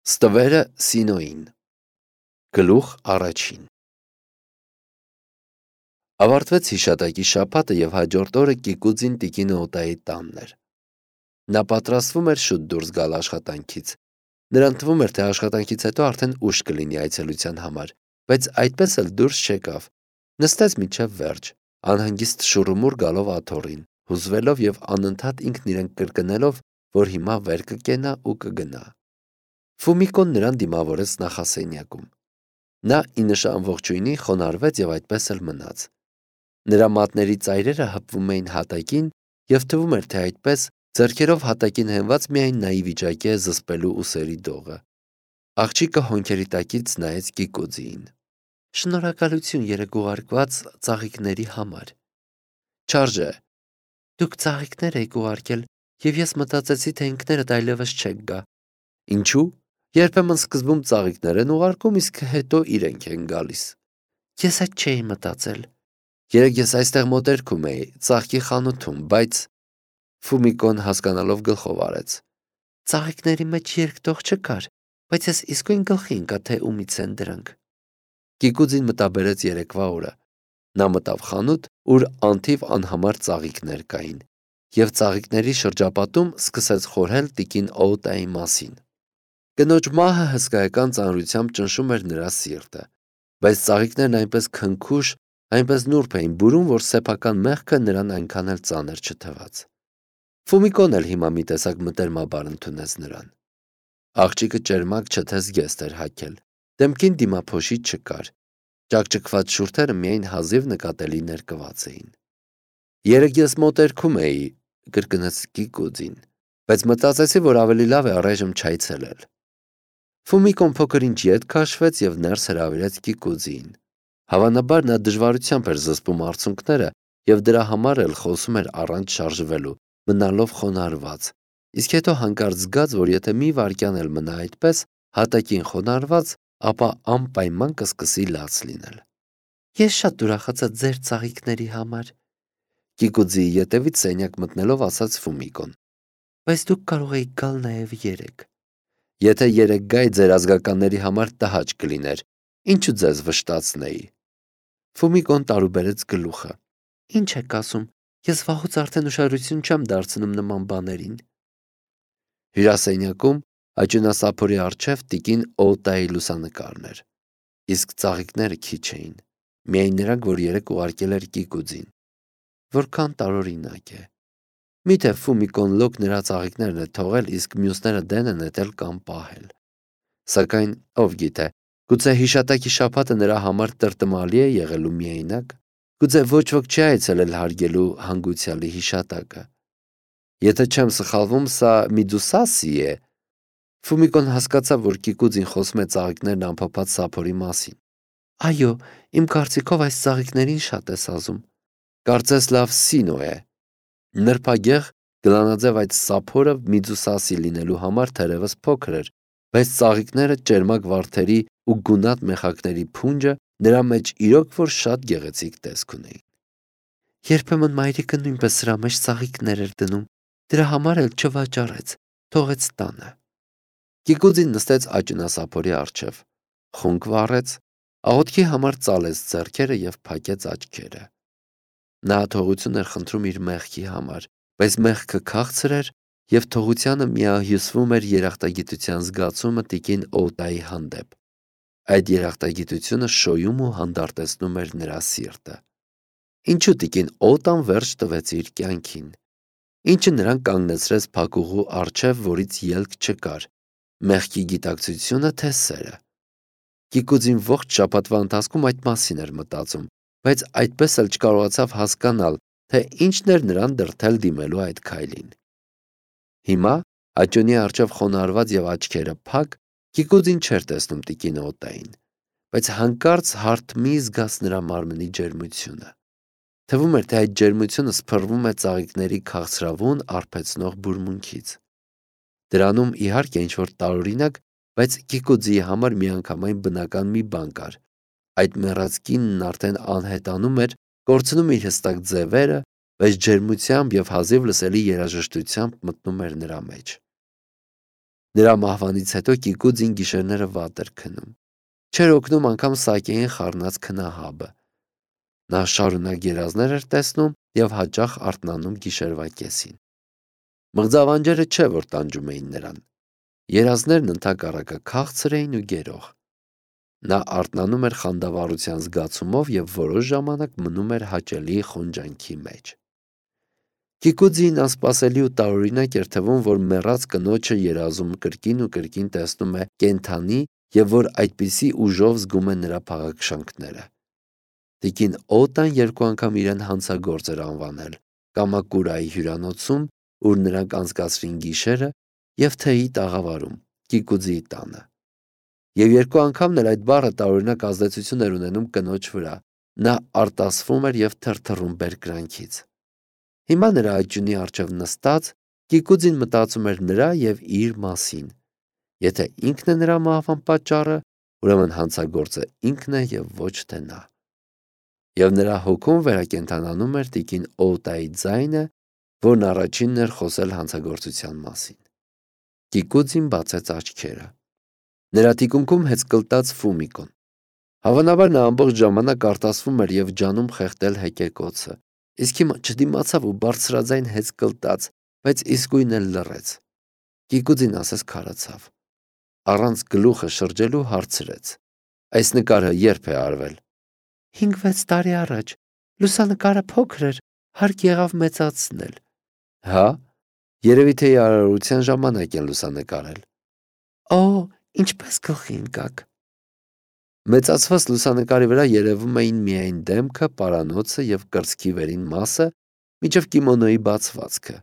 Ստվերը Սինոյին Գլուխ առաջին Ավարտվեց հիշատակի շաբաթը և հաջորդ օրը Կիկուձին տիկին Օտայի տանն էր։ Նա պատրաստվում էր շուտ դուրս գալ աշխատանքից։ Նրան թվում էր, թե աշխատանքից հետո արդեն ուշ կլինի այցելության համար, բայց այդպես էլ դուրս չեկավ։ Նստեց մինչև վերջ, անհանգիստ շուռումուռ գալով աթոռին, հուզվելով և անընդհատ ինքն իրեն կրկնելով, որ հիմա վեր կկենա ու կգնա։ Ֆումիկոն նրան դիմավորեց նախասենյակում։ Նա ի նշան ողջույնի խոնարհվեց և այդպես էլ մնաց։ Նրա մատների ծայրերը հպվում էին հատակին և թվում էր, թե այդպես ձեռքերով հատակին հենված միայն նա ի վիճակի է զսպելու ուսերի դողը։ Աղջիկը հոնքերի տակից նայեց Կիկուձիին։ Շնորհակալություն երեկ ուղարկված ծաղիկների համար։ Չարժե։ Դուք ծաղիկներ եք ուղարկել, և ես մտածեցի, թե ինքներդ այլևս չեք գա։ Ինչու՞։ Երբեմն սկզբում ծաղիկներ են ուղարկում, իսկ հետո իրենք են գալիս։ Ես այդ չէի մտածել։ Երեկ ես այստեղ մոտերքում էի, ծաղկի խանութում, բայց… Ֆումիկոն հասկանալով գլխով արեց։ Ծաղիկների մեջ երկտող չկար, բայց ես իսկույն գլխի ընկա, թե ումից են դրանք։ Կիկուձին մտաբերեց երեկվա օրը։ Նա մտավ խանութ, ուր անթիվ անհամար ծաղիկներ կային, և ծաղիկների շրջապատում սկսեց խորհել տիկին Օուտայի մասին։ Կնոջ մահը հսկայական ծանրությամբ ճնշում էր նրա սիրտը, բայց ծաղիկներն այնպես քնքուշ, այնպես նուրբ էին բուրում, որ սեփական մեղքը նրան այնքան էլ ծանր չթվաց։ Ֆումիկոն էլ հիմա մի տեսակ մտերմաբար ընդունեց նրան։ Աղջիկը ճերմակ չթեզգեստ էր հագել, դեմքին դիմափոշի չկար, ճաքճքված շուրթերը միայն հազիվ նկատելի ներկված էին։ Երեկ ես մոտերքում էի, կրկնեց Կիկուձին, բայց մտածեցի, որ ավելի լավ է առայժմ չայցելել։ Ֆումիկոն փոքր-ինչ ետ քաշվեց և ներս հրավիրեց Կիկուձիին։ Հավանաբար նա դժվարությամբ էր զսպում արցունքները և դրա համար էլ խոսում էր առանց շարժվելու, մնալով խոնարհված, իսկ հետո հանկարծ զգաց, որ եթե մի վայրկյան էլ մնա այդպես, հատակին խոնարհված, ապա անպայման կսկսի լաց լինել։ Ես շատ ուրախացա ձեր ծաղիկների համար, Կիկուձիի ետևից սենյակ մտնելով ասաց Ֆումիկոն։ Բայց դուք կարող էիք գալ նաև երեկ։ Եթե երեկ գայի ձեր ազգականների համար տհաճ կլիներ, ինչու ձեզ վշտացնեի։ Ֆումիկոն տարուբերեց գլուխը։ Ինչ եք ասում, ես վաղուց արդեն ուշադրություն չեմ դարձնում նման բաներին։ Հյուրասենյակում աճյունասափորի առջև տիկին Օուտայի լուսանկարն էր, իսկ ծաղիկները քիչ էին, միայն նրանք, որ երեկ ուղարկել էր Կիկուձին։ Որքան տարօրինակ է։ Միթե Ֆումիկոն լոկ նրա ծաղիկներն է թողել, իսկ մյուսները դեն են նետել կամ պահել։ Սակայն, ով գիտե, գուցե հիշատակի շաբաթը նրա համար տրտմալի է եղելու միայնակ, գուցե ոչ ոք չի այցելել հարգելու հանգուցյալի հիշատակը։ Եթե չեմ սխալվում, սա Միդուսասի է։ Ֆումիկոն հասկացավ, որ Կիկուձին խոսում է ծաղիկներն անփոփած սափորի մասին։ Այո, իմ կարծիքով այս ծաղիկներին շատ ես ազում։ Կարծես լավ Սինո է։ Նրբագեղ գլանաձև այդ սափորը Միդուսասի լինելու համար թերևս փոքր էր, բայց ծաղիկները ճերմակ վարդերի ու գունատ մեխակների փունջը նրա մեջ իրոք որ շատ գեղեցիկ տեսք ունեին։ Երբեմն մայրիկը նույնպես սրա մեջ ծաղիկներ էր դնում, դրա համար էլ չվաճառեց, թողեց տանը։ Կիկուձին նստեց աճյունասափորի առջև, խունկ վառեց, աղոթքի համար ծալեց ձեռքերը և փակեց աչքերը։ Նա թողություն էր խնդրում իր մեղքի համար, բայց մեղքը քաղցր էր, և թողությանը միահյուսվում էր երախտագիտության զգացումը տիկին Օուտայի հանդեպ։ Այդ երախտագիտությունը շոյում ու հանդարտեցնում էր նրա սիրտը։ Ինչու տիկին Օուտան վերջ տվեց իր կյանքին։ Ինչը նրան կանգնեցրեց փակուղու առջև, որից ելք չկար, մեղքի գիտակցությունը, թե սերը։ Կիկուձին ողջ շաբաթվա ընթացքում այդ մասին էր մտածում, բայց այդպես էլ չկարողացավ հասկանալ, թե ինչն էր նրան դրդել դիմելու այդ քայլին։ Հիմա, աճյունի առջև խոնարհված և աչքերը փակ, Կիկուձին չէր տեսնում տիկին Օուտային, բայց հանկարծ հարթ մի զգաց նրա մարմնի ջերմությունը։ Թվում էր, թե այդ ջերմությունը սփռվում է ծաղիկների քաղցրավուն, արբեցնող բուրմունքից։ Դրանում, իհարկե, ինչ-որ տարօրինակ, բայց Կիկուձիի համար միանգամայն բնական մի բան կար։ Այդ մեռած կինն արդեն անհետանում էր, կորցնում իր հստակ ձևերը, բայց ջերմությամբ և հազիվ լսելի երաժշտությամբ մտնում էր նրա մեջ։ Նրա մահվանից հետո Կիկուձին գիշերները վատ էր քնում։ Չէր օգնում անգամ սակեին խառնած քնահաբը։ Նա շարունակ երազներ էր տեսնում եւ հաճախ արթնանում գիշերվա կեսին։ Մղձավանջերը չէ, որ տանջում էին նրան։ Երազներն ընդհակառակը քաղցր էին ու գերող։ Նա արթնանում էր խանդավառության զգացումով եւ որոշ ժամանակ մնում էր հաճելի խոնջանքի մեջ։ Կիկուձին անսպասելի ու տարօրինակ էր թվում, որ մեռած կնոջը երազում կրկին ու կրկին տեսնում է կենդանի եւ որ այդպիսի ուժով զգում է նրա փաղաքշանքները։ Տիկին Օտան երկու անգամ իրեն հանցագործ էր անվանել Կամակուրայի հյուրանոցում, ուր նրանք անցկացրին գիշերը, եւ թեյի տաղավարում Կիկուձիի տանը։ Եվ երկու անգամն էլ այդ բառը տարօրինակ ազդեցություն էր ունենում կնոջ վրա։ Նա արտասվում էր եւ թրթռում բերկրանքից։ Հիմա նրա աճյունի առջև նստած Կիկուձին մտածում էր նրա եւ իր մասին։ Եթե ինքն է նրա մահվան պատճառը, ուրեմն հանցագործը ինքն է եւ ոչ թե նա։ Եվ նրա հոգում վերակենդանանում էր տիկին Օտայի ձայնը, որն առաջինն էր խոսել հանցագործության մասին։ Կիկուձին բացեց աչքերը։ Նրա թիկունքում հեծկլտաց Ֆումիկոն։ Հավանաբար նա ամբողջ ժամանակ արտասվում էր եւ ջանում խեղդել հեկեկոցը, իսկ հիմա չդիմացավ ու բարձրաձայն հեծկլտաց, բայց իսկույն էլ լռեց։ Կիկուձին ասես քարացավ։ Առանց գլուխը շրջելու հարցրեց. Այս նկարը երբ է արվել։ 5-6 տարի առաջ։ Լուսանկարը փոքր էր, հարկ եղավ մեծացնել։ Հա, երևի թե արարողության ժամանակ են լուսանկարել։ Օ, ինչպես գլխի ընկաք։ Մեծացված լուսանկարի վրա երևում էին միայն դեմքը, պարանոցը եւ կրծքի վերին մասը, մինչև կիմոնոյի բացվածքը։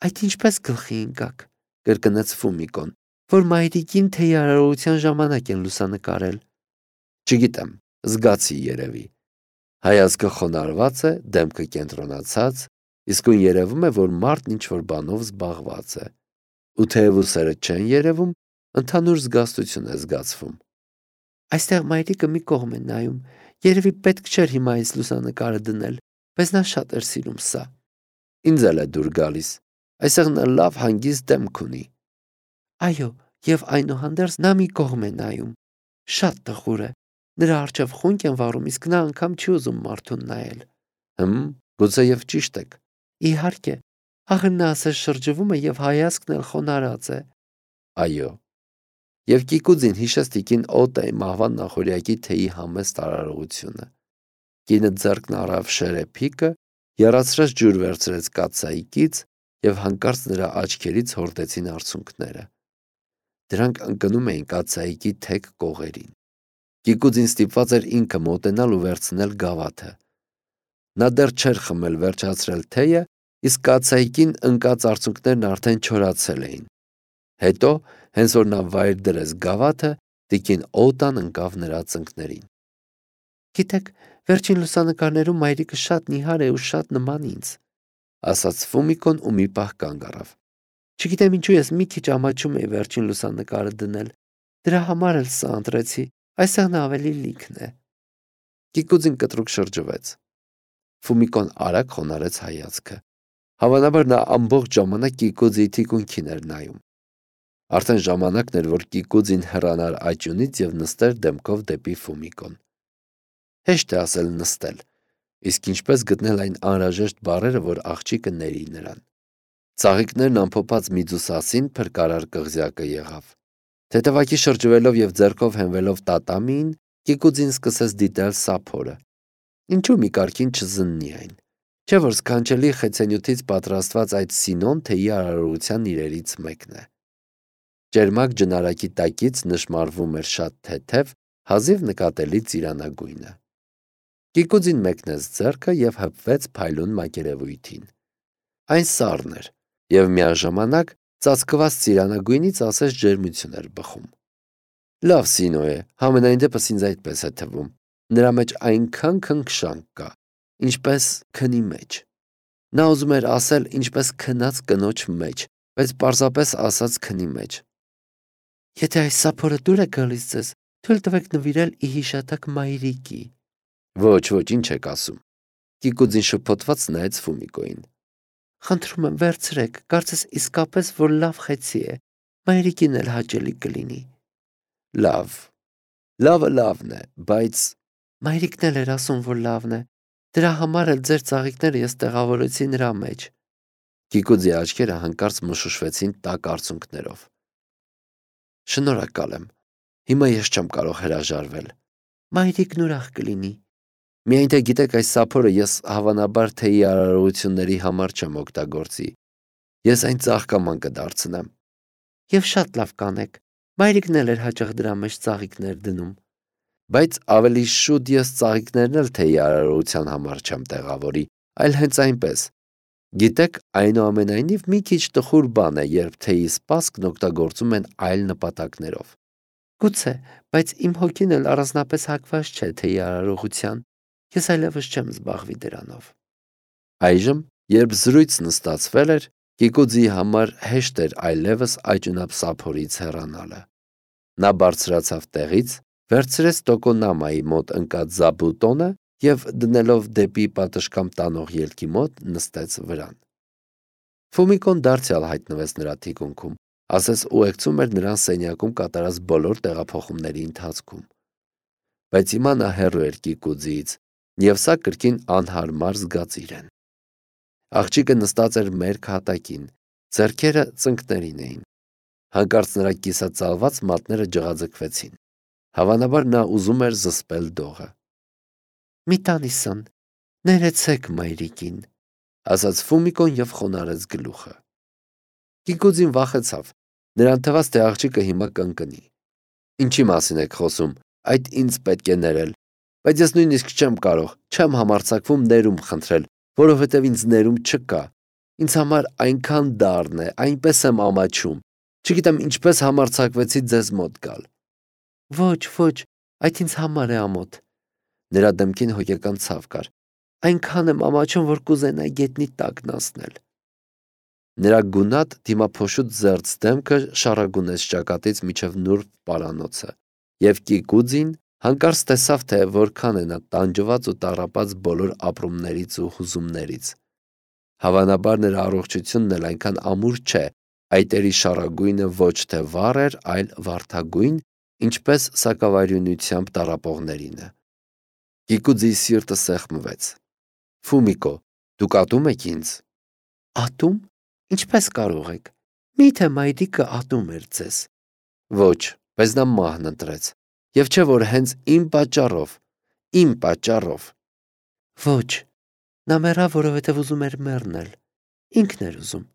Այդ ինչպես գլխի ընկաք, կրկնեց Ֆումիկոն, որ մայրիկին թեյի արարողության ժամանակ են լուսանկարել։ Չգիտեմ, զգացի երևի։ Հայացքը խոնարհված է, դեմքը կենտրոնացած, իսկույն երևում է, որ մարդն ինչ-որ բանով զբաղված է։ Ու թեև ուսերը չեն երևում, ընդհանուր զգաստություն է զգացվում։ Այստեղ մայրիկը մի կողմ է նայում, երևի պետք չէր հիմա այս լուսանկարը դնել, բայց նա շատ էր սիրում սա։ Ինձ էլ է դուր գալիս, այսեղ նա լավ հանգիստ դեմք ունի։ Այո, եւ այնուհանդերձ նա մի կողմ է նայում, շատ տխուր է, նրա առջև խունկ են վառում, իսկ նա անգամ չի ուզում մարդուն նայել։ Գուցե եւ ճիշտ եք։ Իհարկե, ախր նա ասես շրջվում է եւ հայացքն էլ խոնարհած է։ Այո։ Եվ Կիկուձին հիշեց տիկին Օտայի մահվան նախօրյակի թեյի համեստ արարողությունը։ Կինը ձեռքն առավ շերեփիկը, եռացրած ջուր վերցրեց կաթսայիկից եւ հանկարծ նրա աչքերից հորդեցին արցունքները։ Դրանք ընկնում էին կաթսայիկի թեք կողերին։ Կիկուձին ստիպված էր ինքը մոտենալ ու վերցնել գավաթը։ Նա դեռ չէր խմել վերջացրել թեյը, իսկ կաթսայիկին ընկած արցունքներն արդեն չորացել էին։ Հետո, հենց որ նա վայր դրեց գավաթը, տիկին Օտան ընկավ նրա ծնկներին։ Գիտեք, վերջին լուսանկարներում մայրիկը շատ նիհար է ու շատ նման ինձ, ասաց Ֆումիկոն ու մի պահ կանգ առավ։ Չգիտեմ ինչու ես մի քիչ ամաչում էի վերջին լուսանկարը դնել։ Դրա համար էլ սա ընտրեցի, այստեղ նա ավելի լիքն է։ Կիկուձին կտրուկ շրջվեց։ Ֆումիկոն արագ խոնարհեց հայացքը։ Հավանաբար նա ամբողջ ժամանակ Կիկուձիի թիկունքին էր նայում։ Արդեն ժամանակն էր, որ Կիկուձին հեռանար աճյունից եւ նստեր դեմքով դեպի Ֆումիկոն։ Հեշտ է ասել նստել, իսկ ինչպես գտնել այն անհրաժեշտ բառերը, որ աղջիկը ների նրան։ Ծաղիկներն ամփոփած միձուսասին փրկարար կղզյակը եղավ։ Թեթևակի շրջվելով եւ ձեռքով հենվելով տատամիին, Կիկուձին սկսեց դիտել սափորը։ Ինչու մի կարգին չզննի այն։ Չէ՞ որ սքանչելի խեցենյութից պատրաստված այդ սինոն թեյի արարողության իրերից մեկն է։ Ճերմակ ջնարակի տակից նշմարվում էր շատ թեթև, հազիվ նկատելի ծիրանագույնը։ Կիկուձին մեկնեց ձեռքը եւ հպվեց փայլուն մակերևույթին։ Այն սառն էր եւ միաժամանակ ծածկված ծիրանագույնից ասես ջերմություն էր բխում։ Լավ սինո է, համենայն դեպս ինձ այդպես է թվում։ Նրա մեջ այնքան քնքշանք կա, ինչպես քնի մեջ։ Նա ուզում էր ասել ինչպես քնած կնոջ մեջ, բայց պարզապես ասաց քնի մեջ։ Եթե այս սափորը դուր է գալիս ձեզ, թույլ տվեք նվիրել ի հիշատակ մայրիկի։ Ոչ, ինչ եք ասում։ Կիկուձին շփոթված նայեց Ֆումիկոին։ Խնդրում եմ, վերցրեք, կարծես իսկապես որ լավ խեցի է։ Մայրիկին էլ հաճելի կլինի։ Լավ, լավը լավն է, բայց մայրիկն էլ էր ասում, որ լավն է։ Դրա համար էլ ձեր ծաղիկները ես տեղավորեցի նրա մեջ։ Կիկուձի աչքերը հանկարծ մշուշվեցին տաք արցունքներով։ Շնորհակալ եմ։ Հիմա ես չեմ կարող հրաժարվել։ Մայրիկն ուրախ կլինի։ Միայն թե գիտեք, այս սափորը ես հավանաբար թեյի արարողությունների համար չեմ օգտագործի։ Ես այն ծաղկաման կդարձնեմ։ Եվ շատ լավ կանեք։ Մայրիկն էլ էր հաճախ դրա մեջ ծաղիկներ դնում։ Բայց ավելի շուտ ես ծաղիկներն էլ թեյի արարողության համար չեմ տեղավորի, այլ հենց այնպես։ Գիտեք, այնուամենայնիվ մի քիչ տխուր բան է, երբ թեյի սպասքն օգտագործում են այլ նպատակներով։ Գուցե, բայց իմ հոգին էլ առանձնապես հակված չէ թեյի արարողության։ Ես այլևս չեմ զբաղվի դրանով։ Այժմ, երբ զրույցն ստացվել էր, Կիկուձի համար հեշտ էր այլևս աճունապսափորից հեռանալը։ Նա բարձրացավ տեղից, վերցրեց Տոկոնամայի մոտ ընկած զաբուտոնը և դնելով դեպի պատշգամբ տանող ելքի մոտ նստեց վրան։ Ֆումիկոն դարձյալ հայտնվեց նրա թիկունքում, ասես ուղեկցում էր նրան սենյակում կատարած բոլոր տեղափոխումների ընթացքում։ Բայց հիմա նա հեռու էր Կիկուձիից, և սա կրկին անհարմար զգացիր են։ Աղջիկը նստած էր մերկ հատակին, ձեռքերը ծնկներին էին։ Հանկարծ նրա կիսածալված մատները ջղաձգվեցին։ Հավանաբար նա ուզում էր զսպել դողը։ Մի տանիսան, ներեցեք մայրիկին, ասաց Ֆումիկոն և խոնարհեց գլուխը։ Կիկուձին վախեցավ, նրան թվաց, թե աղջիկը հիմա կընկնի։ Ինչի մասին եք խոսում, այդ ինձ պետք է ներել, բայց ես նույնիսկ չեմ կարող, չեմ համարձակվում ներում խնդրել, որովհետև ինձ ներում չկա։ Ինձ համար այնքան դառն է, այնպես եմ ամաչում, չգիտեմ ինչպես համարձակվեցի ձեզ մոտ գալ։ Ոչ, այդ ինձ համար է ամոթ։ Նրա դեմքին հոգեկան ցավ կար։ Այնքան եմ ամաչում, որ կուզենայի գետնի տակն անցնել։ Նրա գունատ դիմափոշուտ զերծ դեմքը շառագունեց ճակատից մինչև նուրբ պարանոցը, և Կիկուձին հանկարծ տեսավ, թե որքան է նա տանջված ու տառապած բոլոր ապրումներից ու հուզումներից։ Հավանաբար նրա առողջությունն էլ այնքան ամուր չէ, այտերի շառագույնը ոչ թե վառ էր, այլ վարդագույն, ինչպես սակավարյունությամբ տառապողներինը։ Կիկուձիի սիրտը սեղմվեց։ Ֆումիկո, դուք ատում եք ինձ։ Ատում։ Ինչպես կարող եք։ Միթե մայրիկը ատում էր ձեզ։ Ոչ, բայց նա մահն ընտրեց։ Եվ չէ որ հենց իմ պատճառով։ Ոչ, նա մեռավ, որովհետև ուզում էր մեռնել։ Ինքն էր ուզում։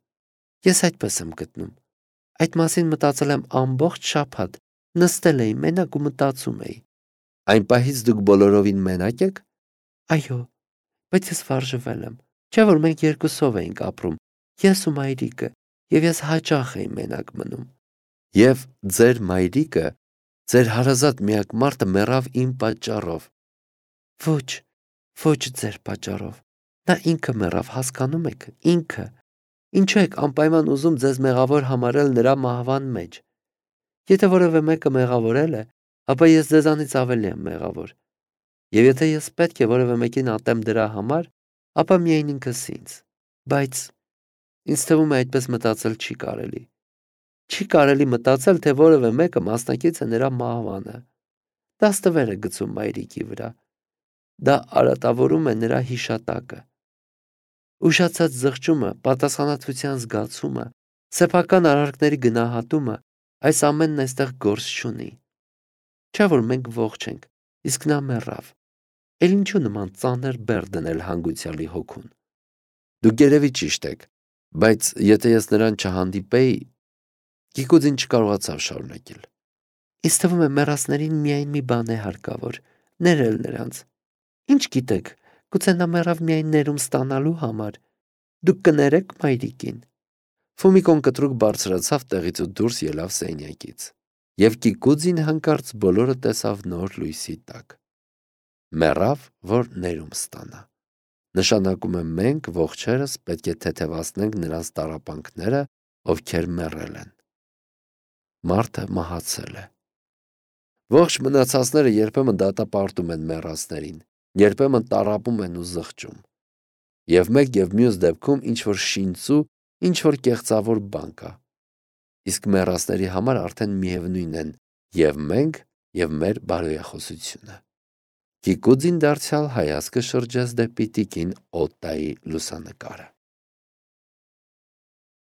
Ես այդպես եմ գտնում։ Այդ մասին մտածել եմ ամբողջ շաբաթ, նստել էի մենակ ու մտածում էի։ Այն պահից դուք բոլորովին մենակ եք։ Այո, բայց ես վարժվել եմ։ Չէ որ մենք երկուսով էինք ապրում, ես ու մայրիկը, և ես հաճախ էի մենակ մնում։ Եվ ձեր մայրիկը, ձեր հարազատ միակ մարդը մեռավ իմ պատճառով։ Ոչ ձեր պատճառով։ Նա ինքը մեռավ, հասկանում եք, ինքը։ Ինչու եք անպայման ուզում ձեզ մեղավոր համարել նրա մահվան մեջ։ Եթե որևէ մեկը մեղավորել է, ապա ես ձեզանից ավելի եմ մեղավոր։ Եվ եթե ես պետք է որևէ մեկին ատեմ դրա համար, ապա միայն ինքս ինձ։ Բայց ինձ թվում է այդպես մտածել չի կարելի։ Չի կարելի մտածել, թե որևէ մեկը մասնակից է նրա մահվանը։ Դա ստվեր է գցում մայրիկի վրա։ Դա արատավորում է նրա հիշատակը։ Ուշացած զղջումը, պատասխանատվության զգացումը, սեփական արարքների գնահատումը, այս ամենն այստեղ գործ չունի։ Չէ որ մենք ողջ ենք, իսկ նա մեռավ։ Էլ ինչու նման ծանր բեռ դնել հանգուցյալի հոգուն։ Դուք երևի ճիշտ եք, բայց եթե ես նրան չհանդիպեի, Կիկուձին չկարողացավ շարունակել։ Ինձ թվում է մեռածներին միայն մի բան է հարկավոր՝ ներել նրանց։ Ինչ գիտեք, գուցե նա մեռավ միայն ներում ստանալու համար։ Դուք կներեք մայրիկին։ Ֆումիկոն կտրուկ բարձրացավ տեղից ու դուրս ելավ սենյակից։ Եվ Կիկուձին հանկարծ բոլորը տեսավ նոր լույսի տակ։ Մեռավ, որ ներում ստանա։ Նշանակում է մենք ողջերս պետք է թեթևացնենք նրանց տառապանքները, ովքեր մեռել են։ Մարդը մահացել է։ Ողջ մնացածները երբեմն դատապարտում են մեռածներին, երբեմն տառապում են ու զղջում։ Եվ մեկ և մյուս դեպքում ինչ-որ շինծու, ինչ-որ կեղծավոր բան կա։ իսկ մեռածների համար արդեն միևնույն են և մենք, և մեր բարոյախոսությունը։ Կիկուձին դարձյալ հայացքը շրջեց դեպի տիկին Օտտայի լուսանկարը։